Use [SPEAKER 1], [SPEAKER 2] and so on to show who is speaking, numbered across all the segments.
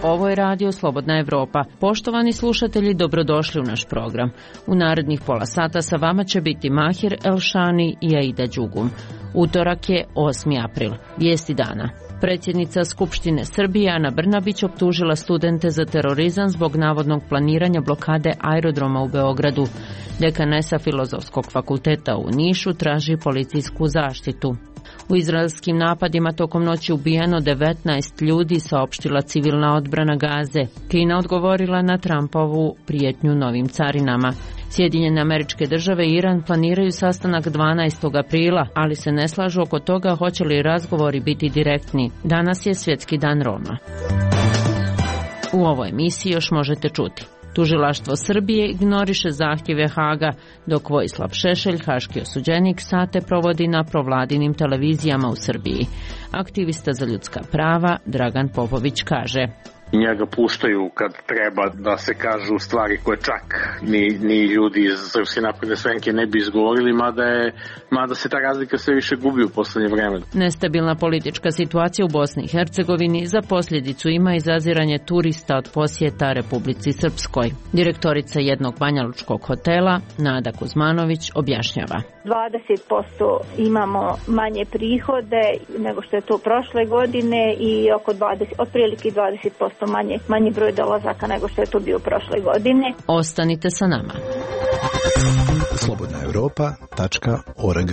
[SPEAKER 1] Ovo je Radio Slobodna Evropa. Poštovani slušatelji, dobrodošli u naš program. U narednih pola sata sa vama će biti Mahir Elšani i Aida Đugum. Utorak je 8. april. Vijesti dana. Predsjednica Skupštine Srbije Ana Brnabić optužila studente za terorizam zbog navodnog planiranja blokade aerodroma u Beogradu. Dekanesa Filozofskog fakulteta u Nišu traži policijsku zaštitu. U izraelskim napadima tokom noći ubijeno 19 ljudi, saopštila civilna odbrana Gaze. Kina odgovorila na Trumpovu prijetnju novim carinama. Sjedinjene Američke Države i Iran planiraju sastanak 12. aprila, ali se ne slažu oko toga hoće li razgovori biti direktni. Danas je Svjetski dan Roma. U ovoj emisiji još možete čuti. Tužilaštvo Srbije ignoriše zahtjeve Haga, dok Vojislav Šešelj, haški osuđenik, sate provodi na provladinim televizijama u Srbiji. Aktivista za ljudska prava Dragan Popović kaže:
[SPEAKER 2] Njega puštaju kad treba da se kažu stvari koje čak ni ljudi iz Srpske napredne stranke ne bi izgovorili, mada se ta razlika sve više gubi u poslednje vreme.
[SPEAKER 1] Nestabilna politička situacija u Bosni i Hercegovini za posljedicu ima izaziranje turista od posjeta Republici Srpskoj. Direktorica jednog banjalučkog hotela, Nada Kuzmanović, objašnjava:
[SPEAKER 3] 20% imamo manje prihode nego što je to prošle godine i otprilike 20% manji broj dolazaka nego što je to bio prošle godine.
[SPEAKER 1] Ostanite sa nama.
[SPEAKER 4] slobodnaevropa.org.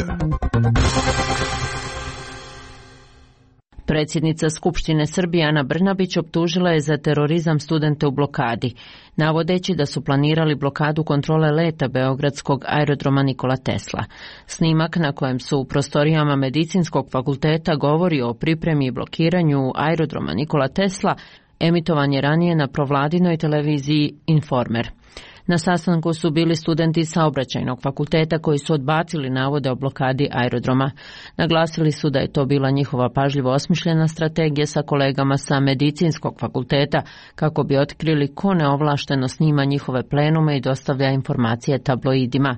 [SPEAKER 1] Predsjednica Skupštine Srbije Ana Brnabić optužila je za terorizam studente u blokadi, navodeći da su planirali blokadu kontrole leta beogradskog aerodroma Nikola Tesla. Snimak na kojem su u prostorijama Medicinskog fakulteta govori o pripremi i blokiranju aerodroma Nikola Tesla emitovan je ranije na provladinoj televiziji Informer. Na sastanku su bili studenti Saobraćajnog fakulteta koji su odbacili navode o blokadi aerodroma. Naglasili su da je to bila njihova pažljivo osmišljena strategija sa kolegama sa Medicinskog fakulteta kako bi otkrili ko neovlašteno snima njihove plenume i dostavlja informacije tabloidima.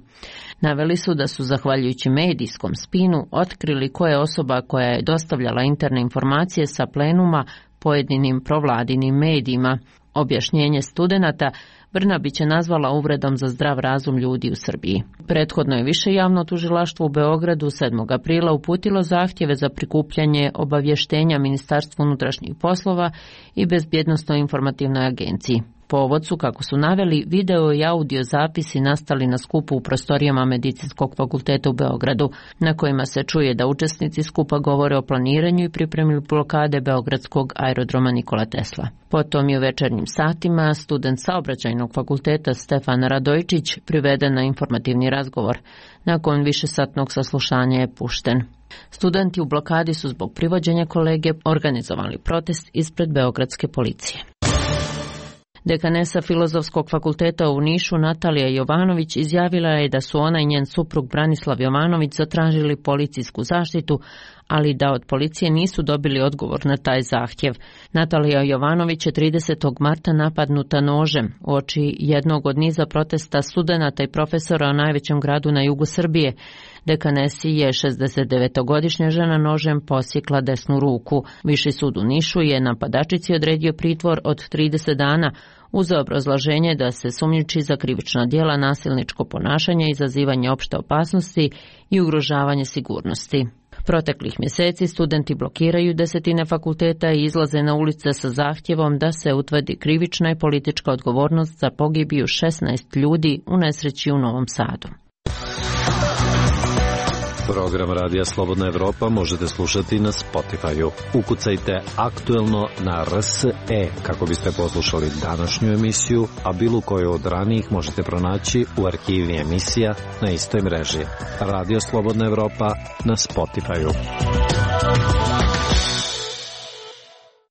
[SPEAKER 1] Naveli su da su zahvaljujući medijskom spinu otkrili ko je osoba koja je dostavljala interne informacije sa plenuma pojedinim provladinim medijima. Objašnjenje studenata Brnabić je nazvala uvredom za zdrav razum ljudi u Srbiji. Prethodno je Više javno tužilaštvo u Beogradu 7. aprila uputilo zahtjeve za prikupljanje obavještenja Ministarstvu unutrašnjih poslova i Bezbjednosno-informativnoj agenciji. Povod su, kako su naveli, video i audio zapisi nastali na skupu u prostorijama Medicinskog fakulteta u Beogradu, na kojima se čuje da učesnici skupa govore o planiranju i pripremi blokade beogradskog aerodroma Nikola Tesla. Potom je u večernjim satima student Saobraćajnog fakulteta Stefan Radojčić priveden na informativni razgovor. Nakon višesatnog saslušanja je pušten. Studenti u blokadi su zbog privođenja kolege organizovali protest ispred beogradske policije. Dekanesa Filozofskog fakulteta u Nišu Natalija Jovanović izjavila je da su ona i njen suprug Branislav Jovanović zatražili policijsku zaštitu, ali da od policije nisu dobili odgovor na taj zahtjev. Natalija Jovanović je 30. marta napadnuta nožem uoči jednog od niza protesta studenata i profesora u najvećem gradu na jugu Srbije. Dekanesi je 69-godišnja žena nožem posjekla desnu ruku. Viši sud u Nišu je napadačici odredio pritvor od 30 dana uz obrazloženje da se sumnjiči za krivična djela, nasilničko ponašanje, izazivanje opšte opasnosti i ugrožavanje sigurnosti. Proteklih mjeseci studenti blokiraju desetine fakulteta i izlaze na ulice sa zahtjevom da se utvrdi krivična i politička odgovornost za pogibiju 16 ljudi u nesreći u Novom Sadu.
[SPEAKER 5] Program Radija Slobodna Evropa možete slušati na Spotify-u. Ukucajte aktuelno na RSE kako biste poslušali današnju emisiju, a bilo koju od ranijih možete pronaći u arhivi emisija na istoj mreži. Radio Slobodna Evropa na Spotify-u.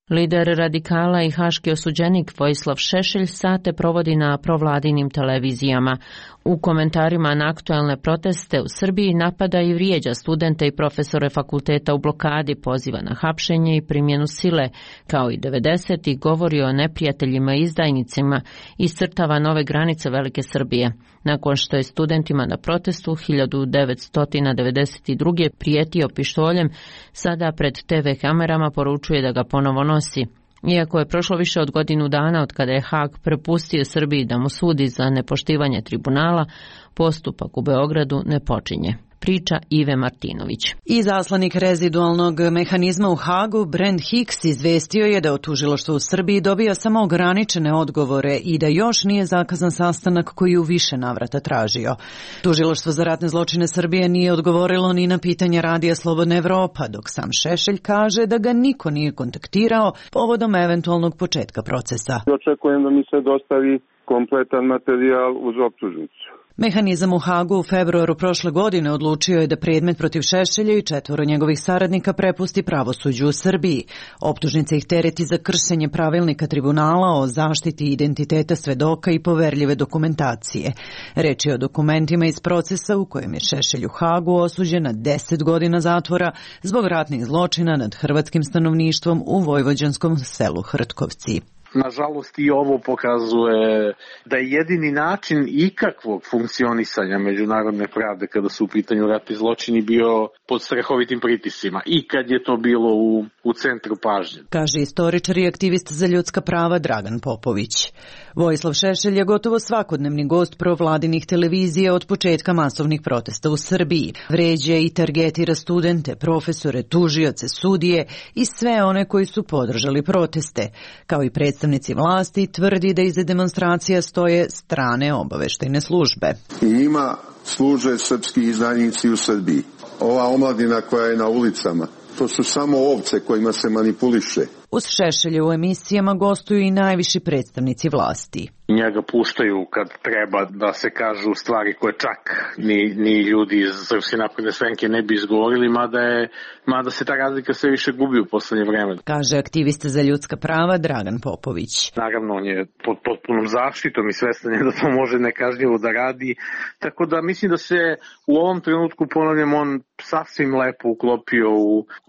[SPEAKER 1] Lider radikala i haški osuđenik Vojislav Šešelj sate provodi na provladinim televizijama. U komentarima na aktuelne proteste u Srbiji napada i vrijeđa studente i profesore fakulteta u blokadi, poziva na hapšenje i primjenu sile, kao i 90-ih govori o neprijateljima i izdajnicima, iscrtava nove granice Velike Srbije. nakon što je studentima na protestu 1992. prijetio pištoljem, sada pred TV kamerama poručuje da ga ponovo nosi. Iako je prošlo više od godinu dana od kada je Haag prepustio Srbiji da mu sudi za nepoštivanje tribunala, postupak u Beogradu ne počinje. Priča Ive Martinović.
[SPEAKER 6] Izaslanik rezidualnog mehanizma u Haagu, Brent Hicks, izvestio je da od tužilaštva u Srbiji dobija samo ograničene odgovore i da još nije zakazan sastanak koji u više navrata tražio. Tužilaštvo za ratne zločine Srbije nije odgovorilo ni na pitanje Radija Slobodna Evropa, dok sam Šešelj kaže da ga niko nije kontaktirao povodom eventualnog početka procesa.
[SPEAKER 7] Očekujem da mi se dostavi kompletan materijal uz optužnicu.
[SPEAKER 6] Mehanizam u Haagu u februaru prošle godine odlučio je da predmet protiv Šešelja i 4 njegovih saradnika prepusti pravosuđu u Srbiji. Optužnica ih tereti za kršenje pravilnika tribunala o zaštiti identiteta svedoka i poverljive dokumentacije. Reč je o dokumentima iz procesa u kojem je Šešelj u Haagu osuđen na 10 godina zatvora zbog ratnih zločina nad hrvatskim stanovništvom u vojvođanskom selu Hrtkovci.
[SPEAKER 2] Nažalost i ovo pokazuje da je jedini način ikakvog funkcionisanja međunarodne pravde kada su u pitanju ratni zločini bio pod strahovitim pritiscima i kad je to bilo u centru pažnje.
[SPEAKER 6] Kaže istoričar i aktivist za ljudska prava Dragan Popović. Vojislav Šešelj je gotovo svakodnevni gost provladinih televizija od početka masovnih protesta u Srbiji. Vređa i targetira studente, profesore, tužioce, sudije i sve one koji su podržali proteste. Kao i predstavnici vlasti, tvrdi da iza demonstracija stoje strane obaveštajne službe.
[SPEAKER 7] I njima služe srpski izdajnici u Srbiji. Ova omladina koja je na ulicama, to su samo ovce kojima se manipuliše.
[SPEAKER 6] Uz Šešelja u emisijama gostuju i najviši predstavnici vlasti.
[SPEAKER 2] Njega puštaju kad treba da se kažu stvari koje čak ni ljudi iz Srpske napredne stranke ne bi izgovorili, mada se ta razlika sve više gubi u poslednje vreme.
[SPEAKER 6] Kaže aktivista za ljudska prava Dragan Popović.
[SPEAKER 2] Naravno, on je pod potpunom zaštitom i svestan je da to može nekažnjivo da radi, tako da mislim da se u ovom trenutku, ponavljam, on sasvim lepo uklopio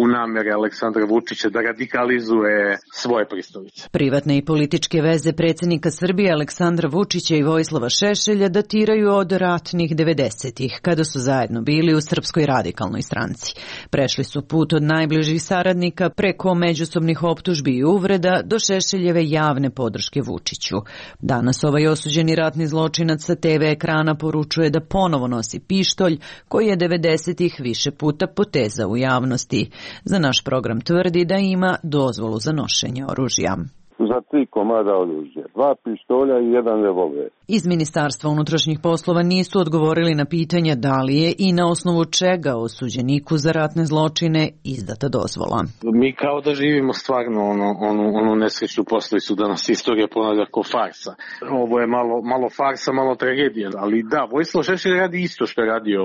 [SPEAKER 2] u namere Aleksandra Vučića da radikalizuje svoje pristalice.
[SPEAKER 6] Privatne i političke veze predsjednika Srbije Aleksandra Vučića i Vojislava Šešelja datiraju od ratnih 90-ih, kada su zajedno bili u Srpskoj radikalnoj stranci. Prešli su put od najbližih saradnika preko međusobnih optužbi i uvreda do Šešeljeve javne podrške Vučiću. Danas ovaj osuđeni ratni zločinac sa TV ekrana poručuje da ponovo nosi pištolj koji je 90-ih više puta potezao u javnosti. Za naš program tvrdi da ima dozvolu za nošenje oružja.
[SPEAKER 7] Za 3 komada oružja, 2 pištolja i 1 revolver.
[SPEAKER 6] Iz Ministarstva unutrašnjih poslova nisu odgovorili na pitanja da li je i na osnovu čega osuđeniku za ratne zločine izdata dozvola.
[SPEAKER 2] Mi kao da živimo stvarno onu nesrećnu poslovicu da nas istorija ponavlja kao farsa. Ovo je malo farsa, malo tragedija, ali da, Vojislav Šešelj radi isto što je radio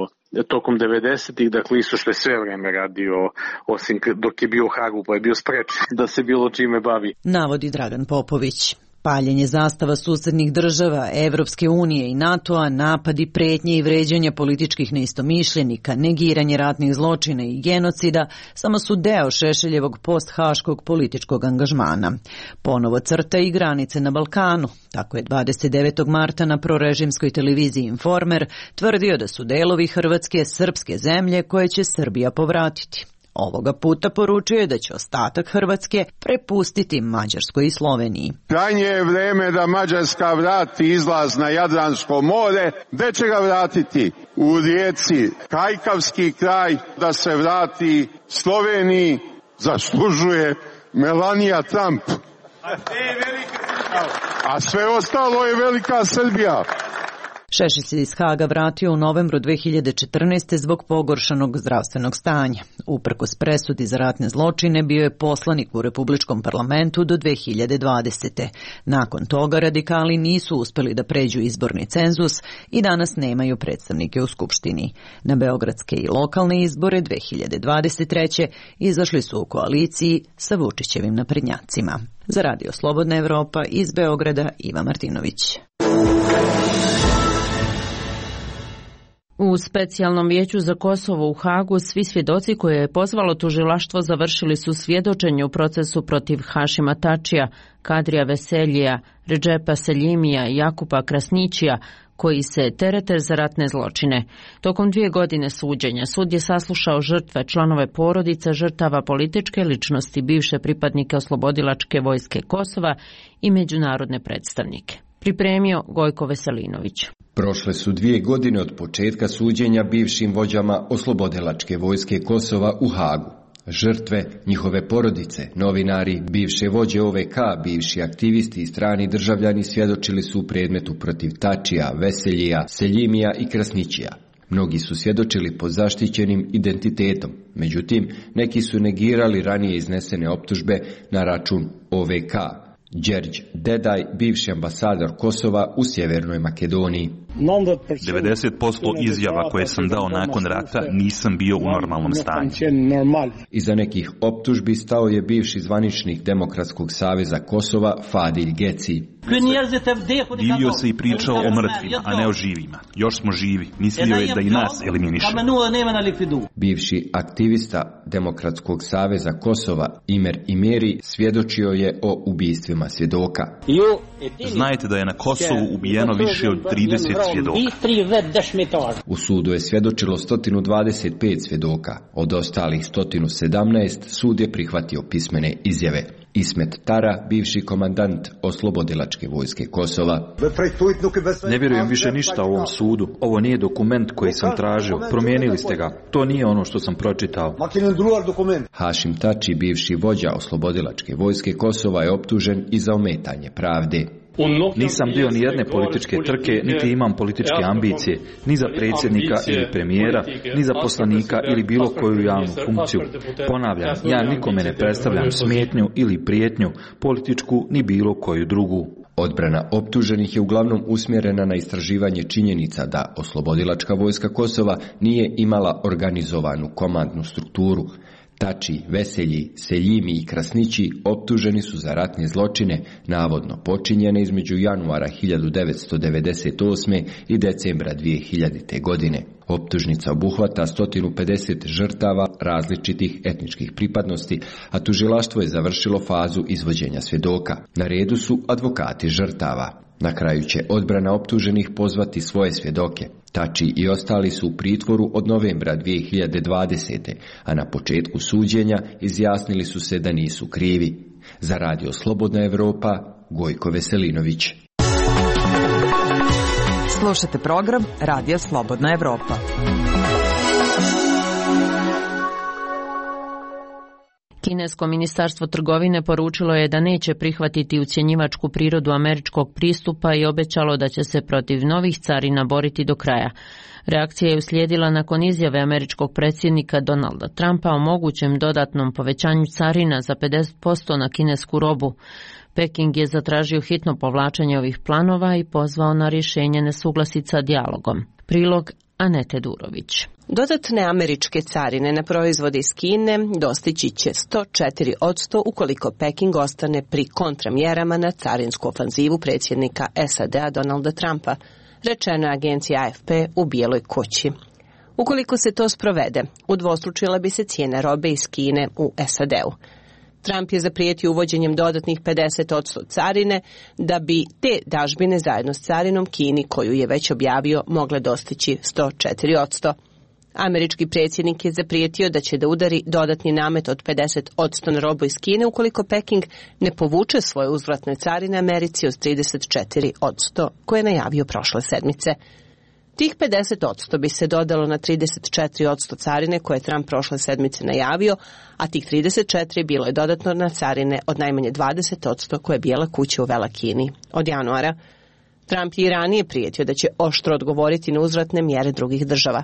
[SPEAKER 2] tokom 90-ih, dakle isto što je sve vreme radio, osim dok je bio u Haagu, pa je bio sprečen da se bilo čime bavi.
[SPEAKER 6] Navodi Dragan Popović. Paljenje zastava susednih država, Evropske unije i NATO-a, napadi, pretnje i vređanja političkih neistomišljenika, negiranje ratnih zločina i genocida samo su deo Šešeljevog post-haškog političkog angažmana. Ponovo crta i granice na Balkanu. Tako je 29. marta na prorežimskoj televiziji Informer tvrdio da su delovi Hrvatske srpske zemlje koje će Srbija povratiti. Ovoga puta poručuje da će ostatak Hrvatske prepustiti Mađarskoj i Sloveniji.
[SPEAKER 7] Krajnje je vreme da Mađarska vrati izlaz na Jadransko more. Gde će ga vratiti? U Rijeci. Kajkavski kraj da se vrati Sloveniji zaslužuje Melania Trump. A sve ostalo je velika Srbija.
[SPEAKER 6] Šešelj se iz Haaga vratio u novembru 2014. zbog pogoršanog zdravstvenog stanja. Uprkos presudi za ratne zločine bio je poslanik u Republičkom parlamentu do 2020. Nakon toga radikali nisu uspeli da pređu izborni cenzus i danas nemaju predstavnike u Skupštini. Na beogradske i lokalne izbore 2023. izašli su u koaliciji sa Vučićevim naprednjacima. Za Radio Slobodna Evropa iz Beograda Iva Martinović.
[SPEAKER 1] U specijalnom vijeću za Kosovo u Haagu svi svjedoci koje je pozvalo tužilaštvo završili su svjedočenje u procesu protiv Hašima Tačija, Kadrija Veseljija, Redžepa Seljimija i Jakupa Krasnićija, koji se terete za ratne zločine. Tokom 2 godine suđenja sud je saslušao žrtve, članove porodica žrtava, političke ličnosti, bivše pripadnike Oslobodilačke vojske Kosova i međunarodne predstavnike. Pripremio Gojko Veselinović.
[SPEAKER 8] Prošle su 2 godine od početka suđenja bivšim vođama Oslobodilačke vojske Kosova u Hagu. Žrtve, njihove porodice, novinari, bivše vođe OVK, bivši aktivisti i strani državljani svjedočili su u predmetu protiv Tačija, Veseljija, Seljimija i Krasnićija. Mnogi su svjedočili pod zaštićenim identitetom, međutim, neki su negirali ranije iznesene optužbe na račun OVK. Đerđ Dedaj, bivši ambasador Kosova u Sjevernoj Makedoniji.
[SPEAKER 9] 90% izjava koje sam dao nakon rata nisam bio u normalnom stanju.
[SPEAKER 8] Iza nekih optužbi stao je bivši zvaničnik Demokratskog saveza Kosova Fadilj Geci.
[SPEAKER 9] Divio se i pričao o mrtvima, a ne o živima. Još smo živi. Mislio je da i nas eliminiše.
[SPEAKER 8] Bivši aktivista Demokratskog saveza Kosova Imer Imeri svjedočio je o ubistvima svjedoka.
[SPEAKER 9] Znajte da je na Kosovu ubijeno više od 30 svjedoka.
[SPEAKER 8] U sudu je svjedočilo 125 svjedoka. Od ostalih 117 sud je prihvatio pismene izjave. Ismet Tara, bivši komandant Oslobodilačke vojske Kosova.
[SPEAKER 10] Ne vjerujem više ništa o ovom sudu. Ovo nije dokument koji sam tražio. Promijenili ste ga. To nije ono što sam pročitao.
[SPEAKER 8] Hašim Tači, bivši vođa Oslobodilačke vojske Kosova, je optužen i za ometanje pravde.
[SPEAKER 10] Nisam dio ni jedne političke trke, niti imam političke ambicije, ni za predsjednika ili premijera, ni za poslanika ili bilo koju javnu funkciju. Ponavljam, ja nikome ne predstavljam smetnju ili prijetnju, političku ni bilo koju drugu.
[SPEAKER 8] Odbrana optuženih je uglavnom usmjerena na istraživanje činjenica da Oslobodilačka vojska Kosova nije imala organizovanu komandnu strukturu. Tači, Veselji, Seljimi i Krasnići optuženi su za ratne zločine, navodno počinjene između januara 1998. i decembra 2000. godine. Optužnica obuhvata 150 žrtava različitih etničkih pripadnosti, a tužilaštvo je završilo fazu izvođenja svjedoka. Na redu su advokati žrtava. Na kraju će odbrana optuženih pozvati svoje svjedoke. Tači i ostali su u pritvoru od novembra 2020. a na početku suđenja izjasnili su se da nisu krivi. Za Radio Slobodna Evropa, Gojko Veselinović.
[SPEAKER 11] Slušate program Radio Slobodna Evropa.
[SPEAKER 1] Kinesko ministarstvo trgovine poručilo je da neće prihvatiti ucjenjivačku prirodu američkog pristupa i obećalo da će se protiv novih carina boriti do kraja. Reakcija je uslijedila nakon izjave američkog predsjednika Donalda Trumpa o mogućem dodatnom povećanju carina za 50% na kinesku robu. Peking je zatražio hitno povlačenje ovih planova i pozvao na rješenje nesuglasica dijalogom. Prilog Anete Durović.
[SPEAKER 12] Dodatne američke carine na proizvode iz Kine dostići će 104% ukoliko Peking ostane pri kontramjerama na carinsku ofanzivu predsjednika SAD-a Donalda Trumpa, rečeno je agenciji AFP u Bijeloj kući. Ukoliko se to sprovede, udvostručila bi se cijena robe iz Kine u SAD-u. Trump je zaprijetio uvođenjem dodatnih 50% carine da bi te dažbine zajedno s carinom Kini, koju je već objavio, mogle dostići 104%. Američki predsjednik je zaprijetio da će da udari dodatni namet od 50% na robu iz Kine ukoliko Peking ne povuče svoje uzvratne carine Americi od 34%, koje je najavio prošle sedmice. Tih 50% bi se dodalo na 34% carine koje je Trump prošle sedmice najavio, a tih 34% bilo je dodatno na carine od najmanje 20% koje je Bijela kuća uvela Kini od januara. Trump je i ranije prijetio da će oštro odgovoriti na uzvratne mjere drugih država.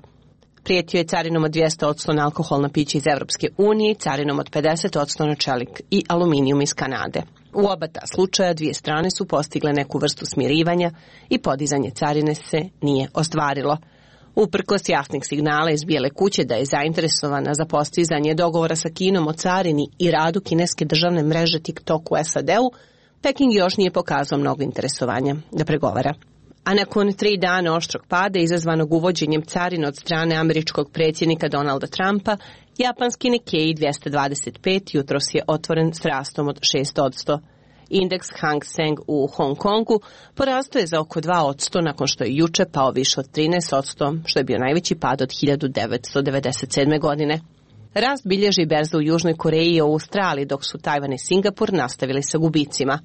[SPEAKER 12] Prijetio je carinom od 200% na alkoholna pića iz Evropske unije i carinom od 50% na čelik i aluminijum iz Kanade. U oba ta slučaja dvije strane su postigle neku vrstu smirivanja i podizanje carine se nije ostvarilo. Uprkos jasnih signala iz Bijele kuće da je zainteresovana za postizanje dogovora sa Kinom o carini i radu kineske državne mreže TikTok u SAD-u, Peking još nije pokazao mnogo interesovanja da pregovara. A nakon 3 dana oštrog pada izazvanog uvođenjem carina od strane američkog predsjednika Donalda Trumpa, japanski Nikkei 225 jutros je otvoren s rastom od 6%. Indeks Hang Seng u Hong Kongu porastao je za oko 2% nakon što je juče pao više od 13%, što je bio najveći pad od 1997. godine. Rast bilježi berza u Južnoj Koreji i Australiji, dok su Tajvan i Singapur nastavili sa gubicima.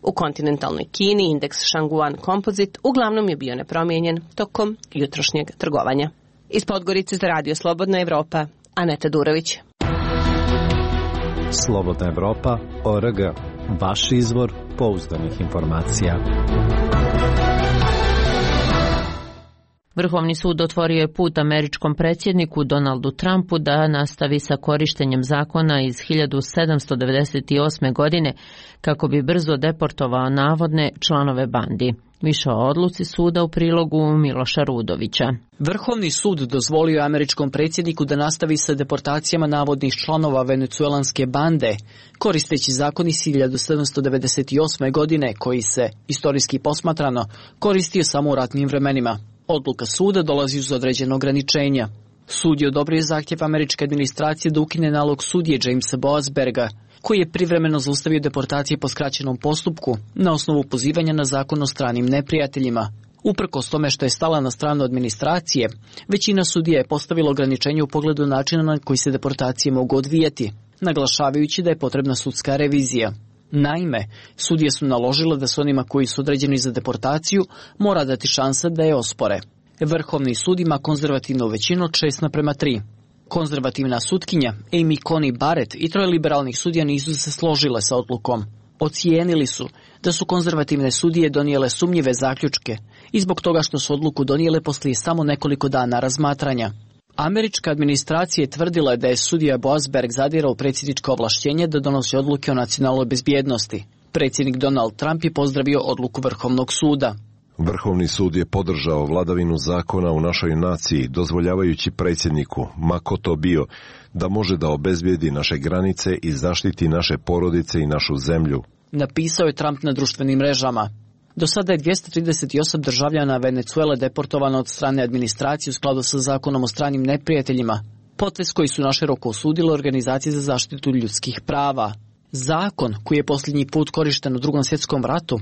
[SPEAKER 12] U kontinentalnoj Kini indeks Shanguan Composite uglavnom je bio nepromijenjen tokom jutrošnjeg trgovanja. Iz Podgorice za Radio Slobodna Evropa, Aneta Durović.
[SPEAKER 5] Slobodna Evropa.org. Vaš izvor pouzdanih informacija.
[SPEAKER 1] Vrhovni sud otvorio je put američkom predsjedniku Donaldu Trumpu da nastavi sa korištenjem zakona iz 1798. godine kako bi brzo deportovao navodne članove bandi. Više o odluci suda u prilogu Miloša Rudovića.
[SPEAKER 13] Vrhovni sud dozvolio američkom predsjedniku da nastavi sa deportacijama navodnih članova venecuelanske bande, koristeći zakon iz 1798. godine koji se, istorijski posmatrano, koristio samo u ratnim vremenima. Odluka suda dolazi uz određene ograničenja. Sud je odobrio zahtjev američke administracije da ukine nalog sudije Jamesa Boasberga, koji je privremeno zaustavio deportacije po skraćenom postupku na osnovu pozivanja na zakon o stranim neprijateljima. Uprkos tome što je stala na stranu administracije, većina sudija je postavila ograničenje u pogledu načina na koji se deportacije mogu odvijati, naglašavajući da je potrebna sudska revizija. Naime, sudije su naložile da se onima koji su određeni za deportaciju mora dati šansa da je ospore. Vrhovni sud ima konzervativnu većinu od 6:3. Konzervativna sutkinja Amy Coney Barrett i 3 liberalnih sudija nisu se složile sa odlukom. Ocijenili su da su konzervativne sudije donijele sumnjive zaključke i zbog toga što su odluku donijele poslije samo nekoliko dana razmatranja. Američka administracija je tvrdila da je sudija Boasberg zadirao u predsjedničko ovlašćenje da donosi odluke o nacionalnoj bezbjednosti. Predsjednik Donald Trump je pozdravio odluku Vrhovnog suda.
[SPEAKER 14] Vrhovni sud je podržao vladavinu zakona u našoj naciji, dozvoljavajući predsjedniku, ma ko to bio, da može da obezbijedi naše granice i zaštiti naše porodice i našu zemlju.
[SPEAKER 13] Napisao je Trump na društvenim mrežama. Do sada je 238 državljana Venecuele deportovano od strane administracije u skladu sa zakonom o stranim neprijateljima, potez koji su naširoko osudile organizacije za zaštitu ljudskih prava. Zakon, koji je posljednji put korišten u Drugom svjetskom ratu,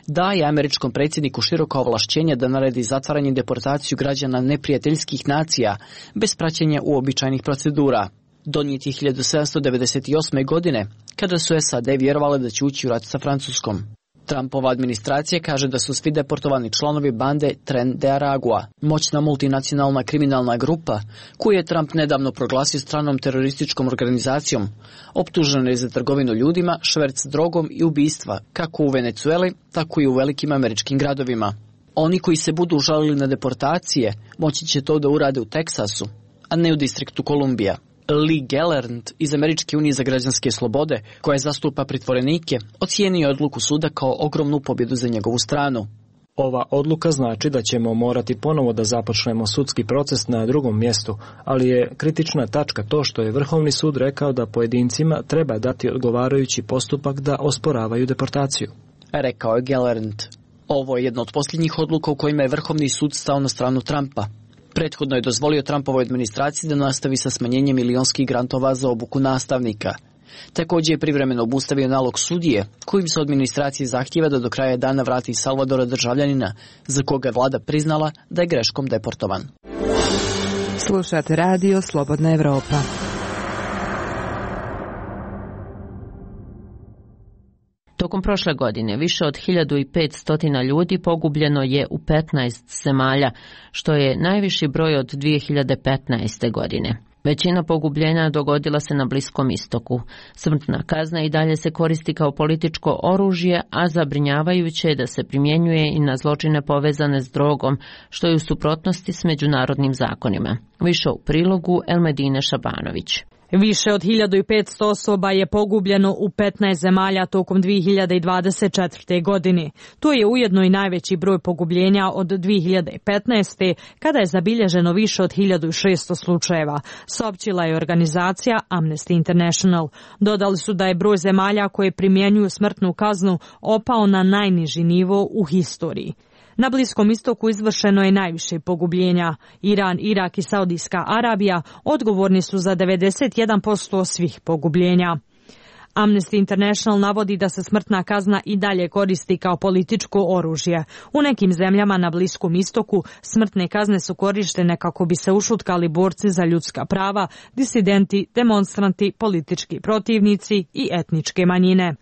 [SPEAKER 13] daje američkom predsjedniku široka ovlašćenja da naredi zatvaranje i deportaciju građana neprijateljskih nacija bez praćenja uobičajenih procedura. Donijet je 1798. godine, kada su SAD vjerovale da će ući u rat sa Francuskom. Trumpova administracija kaže da su svi deportovani članovi bande Tren de Aragua, moćna multinacionalna kriminalna grupa, koju je Trump nedavno proglasio stranom terorističkom organizacijom, optužena je za trgovinu ljudima, šverc drogom i ubistva, kako u Venecueli, tako i u velikim američkim gradovima. Oni koji se budu žalili na deportacije, moći će to da urade u Teksasu, a ne u distriktu Kolumbija. Lee Gellernd iz Američke unije za građanske slobode, koja zastupa pritvorenike, ocijenio odluku suda kao ogromnu pobjedu za njegovu stranu.
[SPEAKER 15] Ova odluka znači da ćemo morati ponovo da započnemo sudski proces na drugom mjestu, ali je kritična tačka to što je Vrhovni sud rekao da pojedincima treba dati odgovarajući postupak da osporavaju deportaciju.
[SPEAKER 13] Rekao je Gellernd. Ovo je jedna od posljednjih odluka u kojima je Vrhovni sud stao na stranu Trumpa. Prethodno je dozvolio Trumpovoj administraciji da nastavi sa smanjenjem milionskih grantova za obuku nastavnika. Također je privremeno obustavio nalog sudije, kojim se administracije zahtijeva da do kraja dana vrati Salvadora državljanina, za koga je vlada priznala da je greškom deportovan.
[SPEAKER 11] Slušate radio Slobodna Evropa.
[SPEAKER 1] Tokom prošle godine više od 1500 ljudi pogubljeno je u 15 zemalja, što je najviši broj od 2015. godine. Većina pogubljenja dogodila se na Bliskom istoku. Smrtna kazna i dalje se koristi kao političko oružje, a zabrinjavajuće je da se primjenjuje i na zločine povezane s drogom, što je u suprotnosti s međunarodnim zakonima. Više u prilogu Elmedine Šabanović.
[SPEAKER 16] Više od 1500 osoba je pogubljeno u 15 zemalja tokom 2024. godine. To je ujedno i najveći broj pogubljenja od 2015. kada je zabilježeno više od 1600 slučajeva, saopćila je organizacija Amnesty International. Dodali su da je broj zemalja koje primjenjuju smrtnu kaznu opao na najniži nivo u historiji. Na Bliskom istoku izvršeno je najviše pogubljenja. Iran, Irak i Saudijska Arabija odgovorni su za 91% svih pogubljenja. Amnesty International navodi da se smrtna kazna i dalje koristi kao političko oružje. U nekim zemljama na Bliskom istoku smrtne kazne su korištene kako bi se ušutkali borci za ljudska prava, disidenti, demonstranti, politički protivnici i etničke manjine.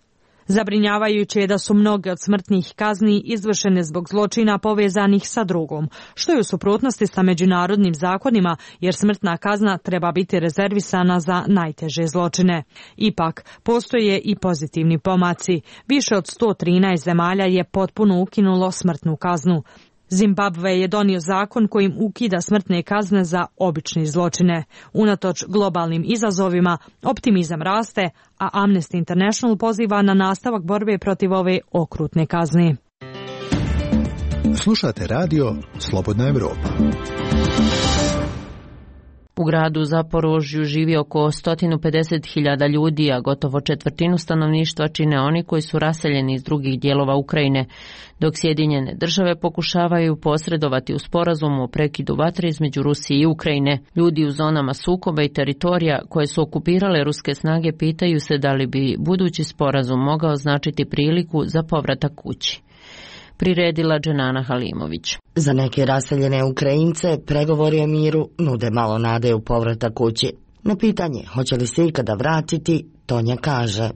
[SPEAKER 16] Zabrinjavajuće je da su mnoge od smrtnih kazni izvršene zbog zločina povezanih sa drogom, što je u suprotnosti sa međunarodnim zakonima, jer smrtna kazna treba biti rezervisana za najteže zločine. Ipak, postoje i pozitivni pomaci. Više od 113 zemalja je potpuno ukinulo smrtnu kaznu. Zimbabve je donio zakon kojim ukida smrtne kazne za obične zločine. Unatoč globalnim izazovima, optimizam raste, a Amnesty International poziva na nastavak borbe protiv ove okrutne kazne.
[SPEAKER 4] Slušate radio Slobodna Evropa.
[SPEAKER 1] U gradu Zaporožju živi oko 150.000 ljudi, a gotovo četvrtinu stanovništva čine oni koji su raseljeni iz drugih dijelova Ukrajine, dok Sjedinjene države pokušavaju posredovati u sporazumu o prekidu vatre između Rusije i Ukrajine. Ljudi u zonama sukoba i teritorija koje su okupirale ruske snage pitaju se da li bi budući sporazum mogao značiti priliku za povratak kući. Priredila Dženana Halimović.
[SPEAKER 17] Za neke raseljene Ukrajince pregovori o miru nude malo nade u povratak kući. Na pitanje hoće li se ikada vratiti, Tonja kaže: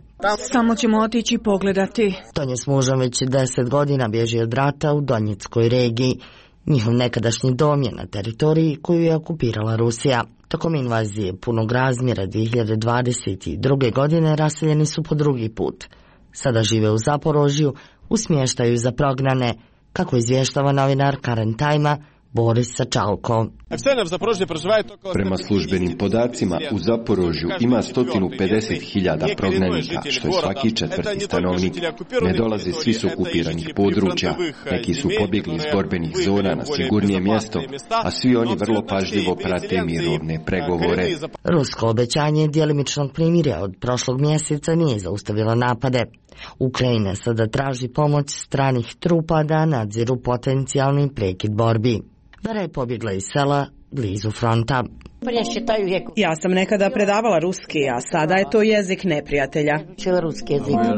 [SPEAKER 18] Samo ćemo otići pogledati.
[SPEAKER 17] Tonja s mužem već 10 godina bježi od rata u Donjeckoj regiji. Njihov nekadašnji dom je na teritoriji koju je okupirala Rusija. Tokom invazije punog razmjera 2022. godine raseljeni su po drugi put. Sada žive u Zaporožju, u smještaju za prognane, kako izvještava novinar Karen Tajma Boris Sačalko.
[SPEAKER 8] Prema službenim podacima u Zaporožju ima 150.000 prognanika, što je svaki četvrti stanovnik. Ne dolaze svi s okupiranih područja, neki su pobjegli iz borbenih zona na sigurnije mjesto, a svi oni vrlo pažljivo prate mirovne pregovore.
[SPEAKER 17] Rusko obećanje djelimičnog primirja od prošlog mjeseca nije zaustavilo napade. Ukrajina sada traži pomoć stranih trupa da nadziru potencijalni prekid borbi. Vera je pobjegla iz sela blizu fronta.
[SPEAKER 18] Ja sam nekada predavala ruski, a sada je to jezik neprijatelja.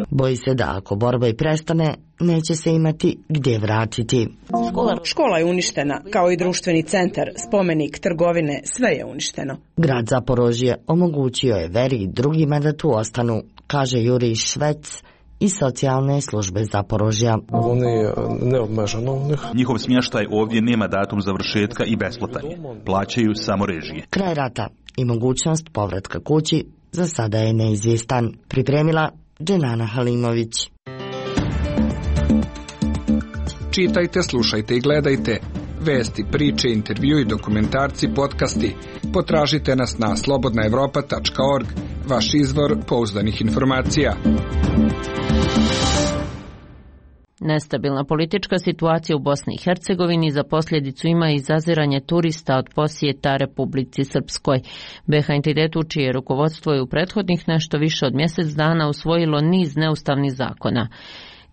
[SPEAKER 17] Boji se da ako borba i prestane, neće se imati gdje vratiti.
[SPEAKER 18] Škola je uništena, kao i društveni centar, spomenik, trgovine, sve je uništeno.
[SPEAKER 17] Grad Zaporožje omogućio je Veri i drugima da tu ostanu, kaže Jurij Švec iz socijalne službe Zaporožja.
[SPEAKER 9] Njihov smještaj ovdje nema datum završetka i besplatan je. Plaćaju samo režije.
[SPEAKER 17] Kraj rata i mogućnost povratka kući za sada je neizvjestan. Pripremila Dženana Halimović.
[SPEAKER 19] Čitajte, slušajte i gledajte vesti, priče, intervju i dokumentarci, podcasti. Potražite nas na slobodnaevropa.org, vaš izvor pouzdanih informacija.
[SPEAKER 1] Nestabilna politička situacija u Bosni i Hercegovini za posljedicu ima i zaziranje turista od posjeta Republici Srpskoj. BiH entitetu čije rukovodstvo je u prethodnih nešto više od mjesec dana usvojilo niz neustavnih zakona.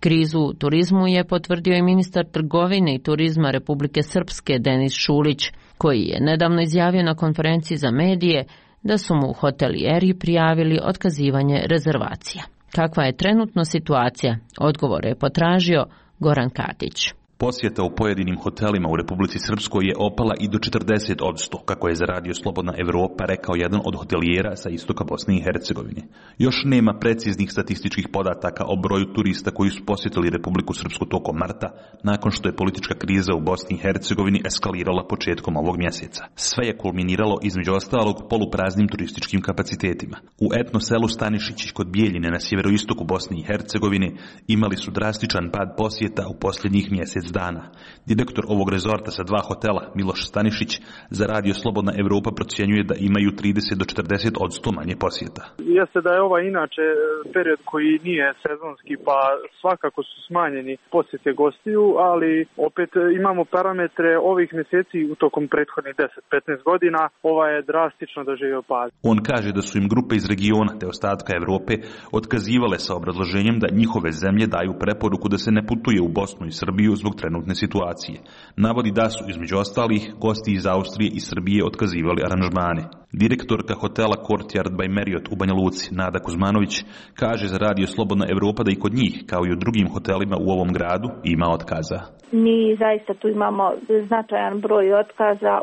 [SPEAKER 1] Krizu u turizmu je potvrdio i ministar trgovine i turizma Republike Srpske Denis Šulić, koji je nedavno izjavio na konferenciji za medije da su mu hotelijeri prijavili otkazivanje rezervacija. Kakva je trenutno situacija? Odgovor je potražio Goran Katić.
[SPEAKER 9] Posjeta u pojedinim hotelima u Republici Srpskoj je opala i do 40%, kako je za radio Slobodna Evropa rekao jedan od hotelijera sa istoka Bosne i Hercegovine. Još nema preciznih statističkih podataka o broju turista koji su posjetili Republiku Srpsku tokom marta, nakon što je politička kriza u Bosni i Hercegovini eskalirala početkom ovog mjeseca. Sve je kulminiralo između ostalog polupraznim turističkim kapacitetima. U etno selu Stanišić kod Bijeljine na sjeveroistoku Bosne i Hercegovine imali su drastičan pad posjeta u posljednjih mjesec dana. Direktor ovog rezorta sa 2 hotela, Miloš Stanišić, za radio Slobodna Evropa procjenjuje da imaju 30 do 40% manje posjeta.
[SPEAKER 20] Jeste da je ovaj inače period koji nije sezonski, pa svakako su smanjeni posjete gostiju, ali opet imamo parametre ovih mjeseci u tokom prethodnih 10-15 godina, ova je drastično doživio pad.
[SPEAKER 9] On kaže da su im grupe iz regiona te ostatka Evrope otkazivale sa obrazloženjem da njihove zemlje daju preporuku da se ne putuje u Bosnu i Srbiju zbog trenutne situacije. Navodi da su, između ostalih, gosti iz Austrije i Srbije otkazivali aranžmane. Direktorka hotela Courtyard by Marriott u Banja Luci, Nada Kuzmanović, kaže za Radio Slobodna Evropa da i kod njih, kao i u drugim hotelima u ovom gradu, ima otkaza.
[SPEAKER 3] Mi zaista tu imamo značajan broj otkaza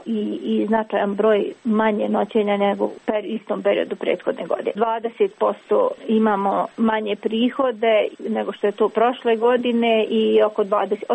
[SPEAKER 3] i značajan broj manje noćenja nego u istom periodu prethodne godine. 20% imamo manje prihode nego što je to prošle godine i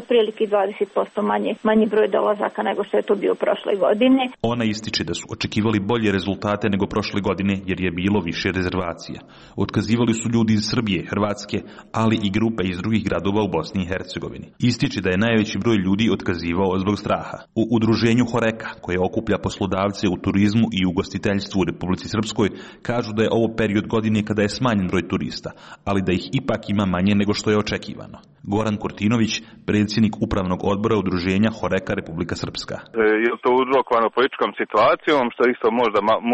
[SPEAKER 3] otprilike 20% manji broj dolazaka nego što je to bio prošle godine.
[SPEAKER 9] Ona ističe da su očekivali bolje rezultate nego prošle godine jer je bilo više rezervacija. Otkazivali su ljudi iz Srbije, Hrvatske, ali i grupe iz drugih gradova u Bosni i Hercegovini. Ističe da je najveći broj ljudi otkazivao zbog straha. U udruženju Horeka, koje okuplja poslodavce u turizmu i ugostiteljstvu u Republici Srpskoj, kažu da je ovo period godine kada je smanjen broj turista, ali da ih ipak ima manje nego što je očekivano. Goran Kurtinović, predsjednik upravnog odbora udruženja Horeka Republika Srpska.
[SPEAKER 21] Je to uzrokovano političkom situacijom, što isto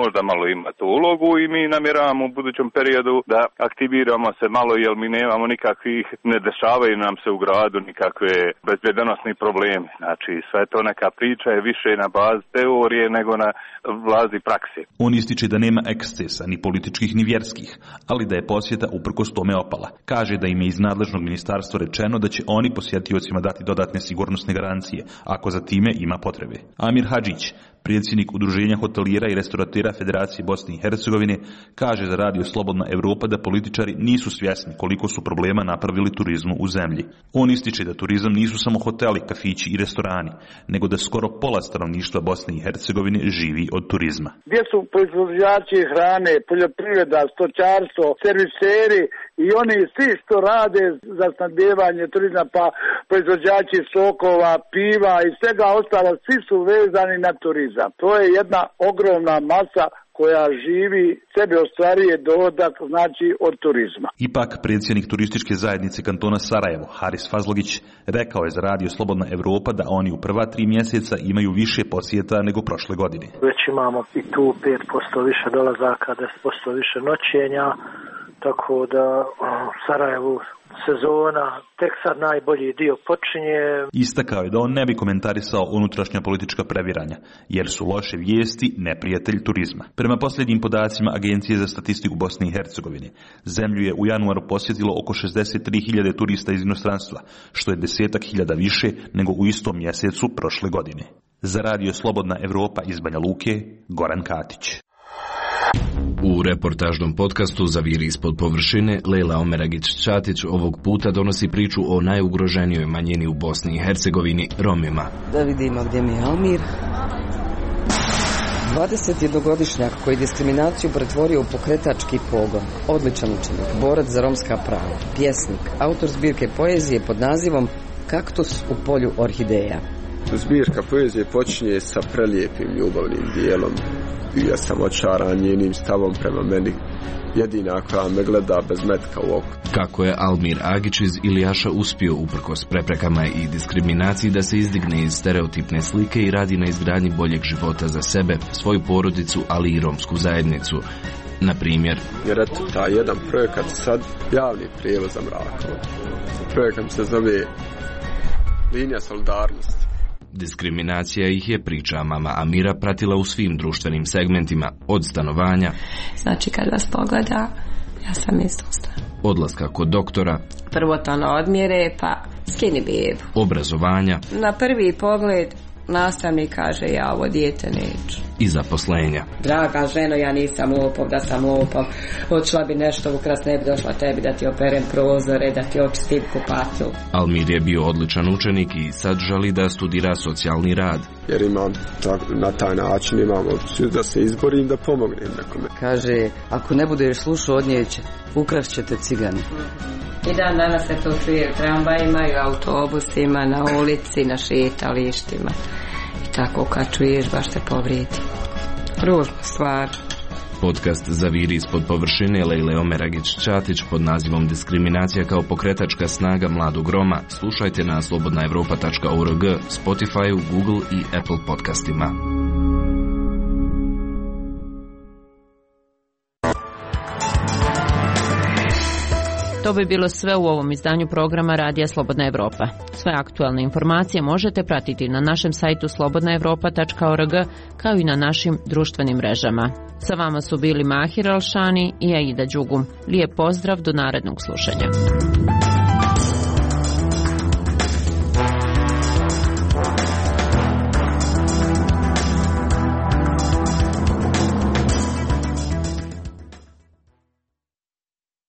[SPEAKER 21] možda malo ima tu ulogu i mi namjeravamo u budućem periodu da aktiviramo se malo jer mi nemamo nikakvih, ne dešavaju nam se u gradu nikakve bezbjedonosni problemi. Znači sve to neka priča je više na bazi teorije nego na bazi prakse.
[SPEAKER 9] On ističe da nema ekscesa ni političkih ni vjerskih, ali da je posjeta uprkos tome opala. Kaže da im je iz nadležnog ministarstva rečeno da će oni posjetiocima dati dodatne sigurnosne garancije, ako za time ima potrebe. Amir Hadžić, predsjednik udruženja hotelijera i restoratera Federacije Bosne i Hercegovine, kaže za Radio Slobodna Evropa da političari nisu svjesni koliko su problema napravili turizmu u zemlji. On ističe da turizam nisu samo hoteli, kafići i restorani, nego da skoro pola stanovništva Bosne i Hercegovine živi od turizma.
[SPEAKER 22] Gdje su proizvođači hrane, poljoprivreda, stočarstvo, serviseri i oni svi što rade za snabdijevanje turizma, pa proizvođači sokova, piva i svega ostalo, svi su vezani na turizam. To je jedna ogromna masa koja živi, sebe ostvaruje dohodak, znači od turizma.
[SPEAKER 9] Ipak, predsjednik turističke zajednice kantona Sarajevo, Haris Fazlogić, rekao je za Radio Slobodna Evropa da oni u prva 3 mjeseca imaju više posjeta nego prošle godine.
[SPEAKER 23] Već imamo i tu 5% više dolazaka, 10% više noćenja, tako da Sarajevu sezona tek sad najbolji dio počinje.
[SPEAKER 9] Istakao je da on ne bi komentarisao unutrašnja politička previranja, jer su loše vijesti neprijatelj turizma. Prema posljednjim podacima Agencije za statistiku Bosne i Hercegovine, zemlju je u januaru posjetilo oko 63.000 turista iz inostranstva, što je 10.000 više nego u istom mjesecu prošle godine. Za Radio Slobodna Evropa iz Banja Luke, Goran Katić.
[SPEAKER 24] U reportažnom podcastu Zaviri ispod površine, Lejla Omeragić-Čatić ovog puta donosi priču o najugroženijoj manjini u Bosni i Hercegovini, Romima.
[SPEAKER 25] Da vidimo gdje mi je Almir. 21-godišnjak koji diskriminaciju pretvorio u pokretački pogon, odličan učenik, borac za romska prava, pjesnik, autor zbirke poezije pod nazivom Kaktus u polju orhideja.
[SPEAKER 26] Zbirka poezije počinje sa prelijepim ljubavnim dijelom. Ja sam očaran njenim stavom prema meni, jedina koja me gleda bez metka u oku.
[SPEAKER 24] Kako je Almir Agić iz Ilijaša uspio uprkos preprekama i diskriminaciji da se izdigne iz stereotipne slike i radi na izgradnji boljeg života za sebe, svoju porodicu, ali i romsku zajednicu. Na primjer,
[SPEAKER 26] jer eto, taj jedan projekat sad, javni prijevoz za Mrakovo. Projekat se zove Linija solidarnosti.
[SPEAKER 24] Diskriminacija ih je, priča mama Amira, pratila u svim društvenim segmentima, od stanovanja.
[SPEAKER 27] Znači kad vas pogleda, ja sam izostala.
[SPEAKER 24] Odlaska kod doktora.
[SPEAKER 27] Prvotno odmjere, pa skini bebu.
[SPEAKER 24] Obrazovanja.
[SPEAKER 27] Na prvi pogled nastavnik kaže ja ovo dijete neću.
[SPEAKER 24] I zaposlenja.
[SPEAKER 27] Draga ženo, ja nisam lopov, da sam lopov. Odšla bi nešto ukras, ne bi došla tebi da ti operem prozore, da ti očistim kupatlu.
[SPEAKER 24] Almir je bio odličan učenik i sad želi da studira socijalni rad.
[SPEAKER 26] Jer na taj način imam opciju da se izborim, da pomognem nekome.
[SPEAKER 25] Kaže, ako ne budeš slušao od nje, ukrast ćete cigani.
[SPEAKER 27] I dan danas se to čuje u tramvajima i u autobusima, na ulici, na šetalištima. I tako kad čuješ baš te povrijedi. Ružna stvar.
[SPEAKER 24] Podcast Zaviri ispod površine Lejle Omeragić-Čatić pod nazivom Diskriminacija kao pokretačka snaga mladog Roma slušajte na slobodnaevropa.org, Spotify, Google i Apple podcastima.
[SPEAKER 1] To bi bilo sve u ovom izdanju programa Radija Slobodna Evropa. Sve aktualne informacije možete pratiti na našem sajtu slobodnaevropa.org kao i na našim društvenim mrežama. Sa vama su bili Mahir Alšani i Aida Đugum. Lijep pozdrav do narednog slušanja.